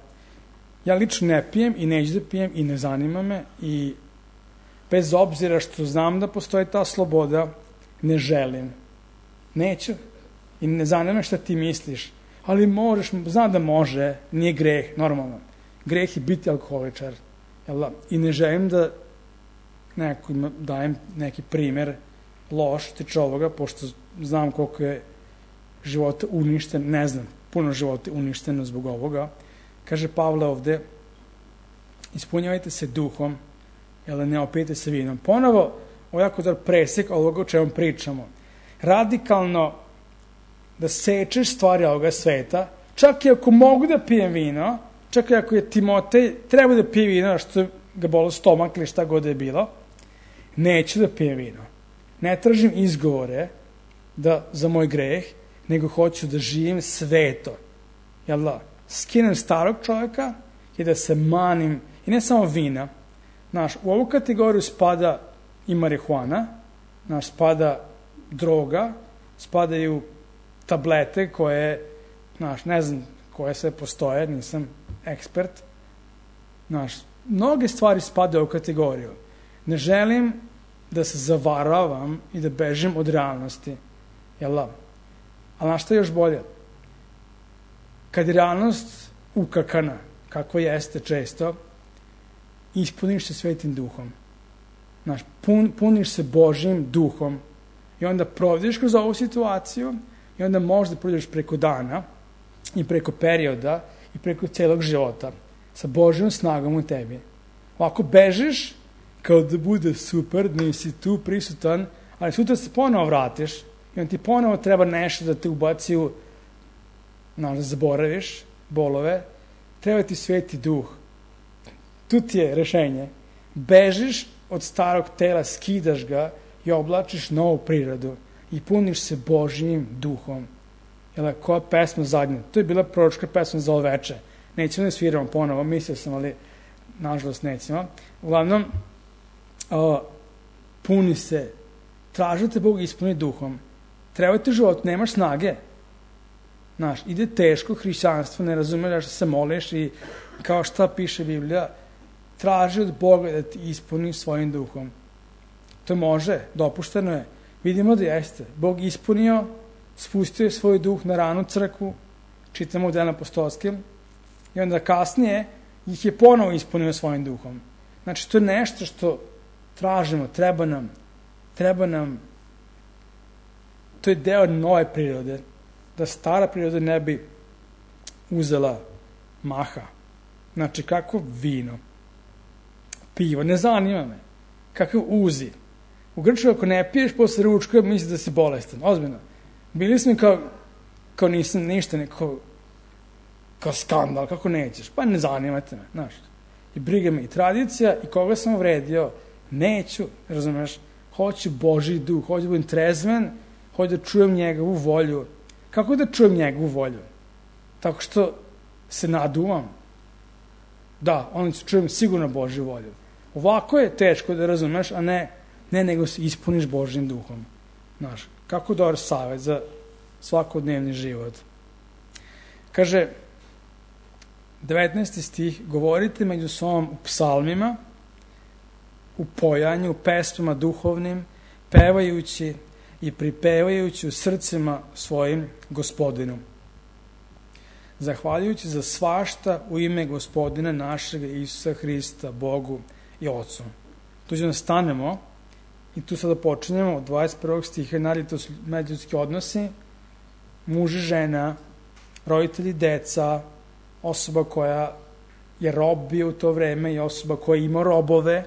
Ja lično ne pijem i neću da pijem i ne zanima me i bez obzira što znam da postoji ta sloboda, ne želim. Neću. I ne zanima me šta ti misliš. Ali možeš, znam da može, nije greh, normalno. Greh je biti alkoholičar. I ne želim da nekima dajem neki primer loš tiče ovoga, pošto znam koliko je života uništeno, ne znam, puno života uništeno zbog ovoga. Kaže Pavle ovde, ispunjavajte se duhom, ne opijete se vinom. Ponovo, ovo je jako dobar presek ovoga o čemu pričamo. Radikalno da sečeš stvari ovoga sveta, čak i ako mogu da pijem vino, čak i ako je Timotej treba da pije vino, što ga bolo stomak ili šta god je bilo, neću da pijem vino. Ne tražim izgovore za moj greh, nego hoću da živim sveto. Jel da? Skinem starog čovjeka i da se manim, i ne samo vina. Znaš, u ovu kategoriju spada i marihuana, znaš, spada droga, spadaju tablete koje, znaš, ne znam koje sve postoje, nisam ekspert. Znaš, mnoge stvari spadaju u kategoriju. Ne želim da se zavaravam i da bežim od realnosti. Jel da? Ali znaš šta je još bolje? Kad je realnost ukakana, kako jeste često, ispuniš se Svetim Duhom. Znaš, puniš se Božjim Duhom i onda provodiš kroz ovu situaciju i onda možda prođeš preko dana i preko perioda i preko celog života sa Božjom snagom u tebi. Ovako bežiš kao da bude super, nisi tu prisutan, ali sutra se ponovo vratiš i onda ti ponovo treba nešto da te ubaci u, znaš, da zaboraviš bolove, treba ti Sveti Duh. Tu ti je rešenje. Bežiš od starog tela, skidaš ga i oblačiš novu prirodu i puniš se Božjim Duhom. Jel, koja pesma zadnja? To je bila proročka pesma za ovo veče. Nećemo da sviramo ponovo, mislio sam, ali nažalost nećemo. Uglavnom, puni se, tražite Bog ispuni Duhom. Treba ti život, nemaš snage. Znaš, ide teško hrišćanstvo, ne razumeš da se moliš i kao šta piše Biblija, traži od Boga da ti ispuni svojim duhom. To može, dopušteno je. Vidimo da jeste. Bog ispunio, spustio je svoj duh na ranu crkvu, čitamo u Delima apostolskim, i onda kasnije ih je ponovo ispunio svojim duhom. Znači, to je nešto što tražimo, treba nam, to je deo nove prirode, da stara priroda ne bi uzela maha. Znači, kako vino, pivo, ne zanima me, kakav uzi. U Grčkoj ako ne piješ posle ručka, misliš da si bolestan, ozbiljno. Bili smo kao nisam ništa, kao skandal, kako nećeš, pa ne zanimate me, znaš. I briga me i tradicija i koga sam uvredio, neću, razumeš, hoću Božji duh, hoću da budem trezven, hoću da čujem njegovu volju. Kako da čujem njegovu volju? Tako što se naduvam. Da, onda ću čujem sigurno Božju volju. Ovako je teško da razumeš, a ne nego se ispuniš Božjim duhom. Znaš, kako dobar savjet za svakodnevni život. Kaže, 19. stih, govorite među sobom u psalmima, u pojanju, u pesmama duhovnim, pevajući i pripevajući u srcima svojim Gospodinu. Zahvaljujući za svašta u ime Gospodina našeg Isusa Hrista, Bogu i Otcu. Tu ćemo stanemo i tu sada počinjemo od 21. stiha, nadalje to su međuljudski odnosi, muž i žena, roditelji, deca, osoba koja je rob bio u to vreme i osoba koja ima robove,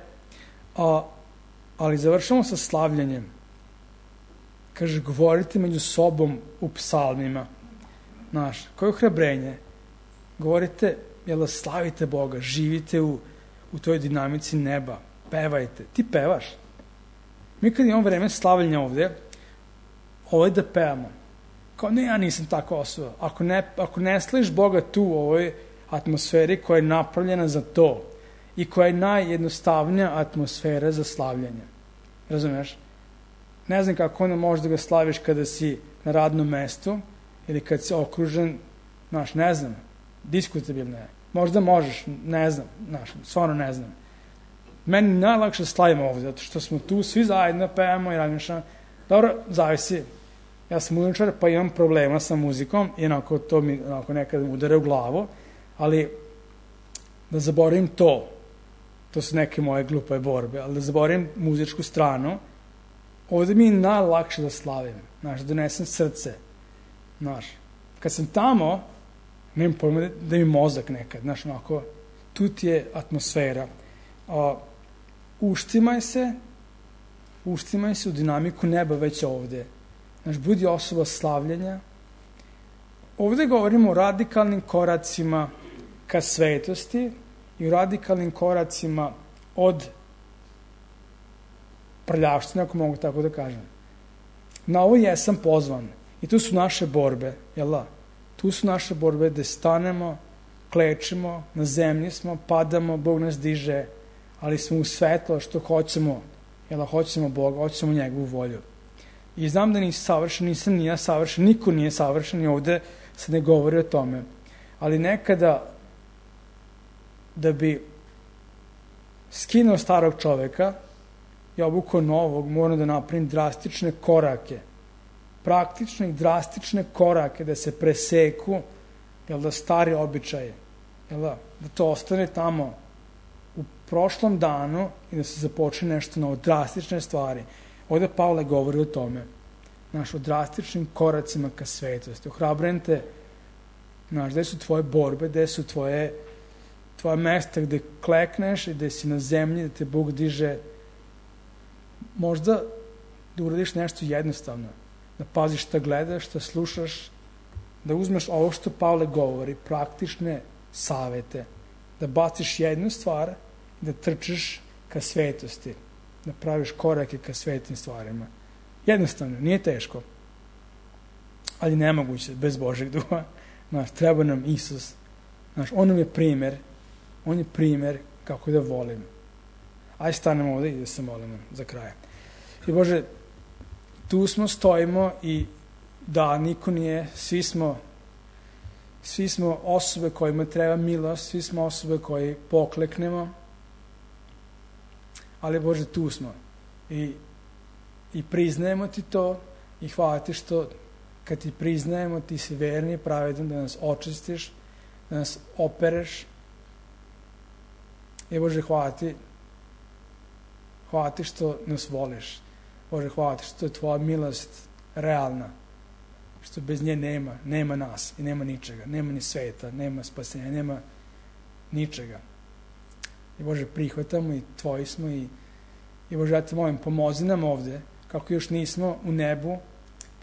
ali završamo sa slavljanjem. Kaže, govorite među sobom u psalmima. Znaš, koje ohrabrenje. Govorite, jel da slavite Boga, živite u toj dinamici neba, pevajte. Ti pevaš. Mi kad imamo vreme slavljenja ovde, ovo je da pevamo. Kao, ne, ja nisam takva osoba. Ako ne slaviš Boga tu u ovoj atmosferi koja je napravljena za to i koja je najjednostavnija atmosfera za slavljanje. Razumeš? Ne znam kako onda možeš da ga slaviš kada si na radnom mestu ili kad si okružen, znaš, ne znam, diskutabilno je. Možda možeš, ne znam, znaš, stvarno ne znam. Meni najlakše slavimo ovdje, zato što smo tu, svi zajedno pevamo i radimo šta. Dobro, zavisi. Ja sam muzičar, pa imam problema sa muzikom i to mi nekad udare u glavu, ali da zaboravim to su neke moje glupe borbe, ali da zaboravim muzičku stranu, ovdje mi je najlakše da slavim, znaš, da donesem srce, znaš. Kad sam tamo, nemam pojma da mi mozak nekad, znaš, tu ti je atmosfera. Uštimaj se u dinamiku neba već ovdje. Znaš, budi osoba slavljenja. Ovdje govorimo o radikalnim koracima ka svetosti i o radikalnim koracima od prljavštine, ako mogu tako da kažem. Na ovo jesam pozvan I tu su naše borbe, jel da? Tu su naše borbe gde stanemo, klečimo, na zemlji smo, padamo, Bog nas diže, ali smo u svetlo što hoćemo, jel da? Hoćemo Boga, hoćemo njegovu volju. I znam da nisi savršen, nisam ni ja savršen, niko nije savršen i ovde se ne govori o tome. Ali nekada, da bi skinuo starog čoveka i obukao novog, moram da napravim drastične korake. Praktične i drastične korake da se preseku, jel da, stari običaje. Jel da to ostane tamo u prošlom danu i da se započne nešto novo, drastične stvari. Ovde Pavle govori o tome. O drastičnim koracima ka svetosti. Ohrabrujem te, gde su tvoje borbe, gde su tvoje mesta gde klekneš i gde si na zemlji, da te Bog diže. Možda da uradiš nešto jednostavno. Da paziš šta gledaš, šta slušaš, da uzmeš ovo što Pavle govori, praktične savete, da baciš jednu stvar i da trčiš ka svetosti, da praviš korake ka svetim stvarima. Jednostavno, nije teško, ali nemoguće bez Božeg duha. Treba nam Isus. On nam je primer, on je primer kako da volim. Ajde stanemo ovde i da se molimo za kraj. I Bože, tu smo, stojimo i da, niko nije, svi smo osobe kojima treba milost, svi smo osobe koji pokleknemo, ali Bože, tu smo i priznajemo ti to i hvala ti što kad ti priznajemo, ti si verni i pravedan da nas očistiš, da nas opereš. I Bože, hvala ti što nas voliš. Bože, hvala ti što je tvoja milost realna, što bez nje nema nas i nema ničega, nema ni sveta, nema spasenja, nema ničega. I Bože, prihvatamo i tvoji smo i Bože, ja te molim, pomozi nam ovde, kako još nismo u nebu,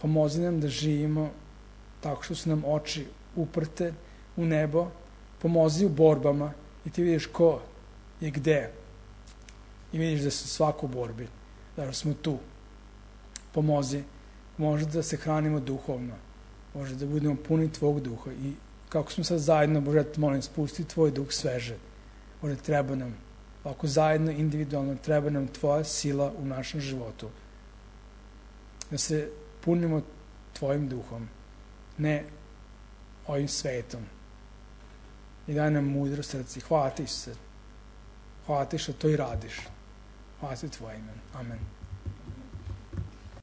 pomozi nam da živimo tako što su nam oči uprte u nebo, pomozi u borbama i ti vidiš ko je gde i vidiš da su svako u borbi, da smo tu. Pomozi, može da se hranimo duhovno, može da budemo puni tvog duha i kako smo sad zajedno, Bože, ja te molim, spusti tvoj duh sveže. Bože, treba nam, ovako zajedno, individualno, treba nam tvoja sila u našem životu. Da se punimo tvojim duhom, ne ovim svetom. I daj nam mudro srce. Hvala ti, Isuse. Hvala ti što to i radiš. Hvala ti tvoje ime. Amen.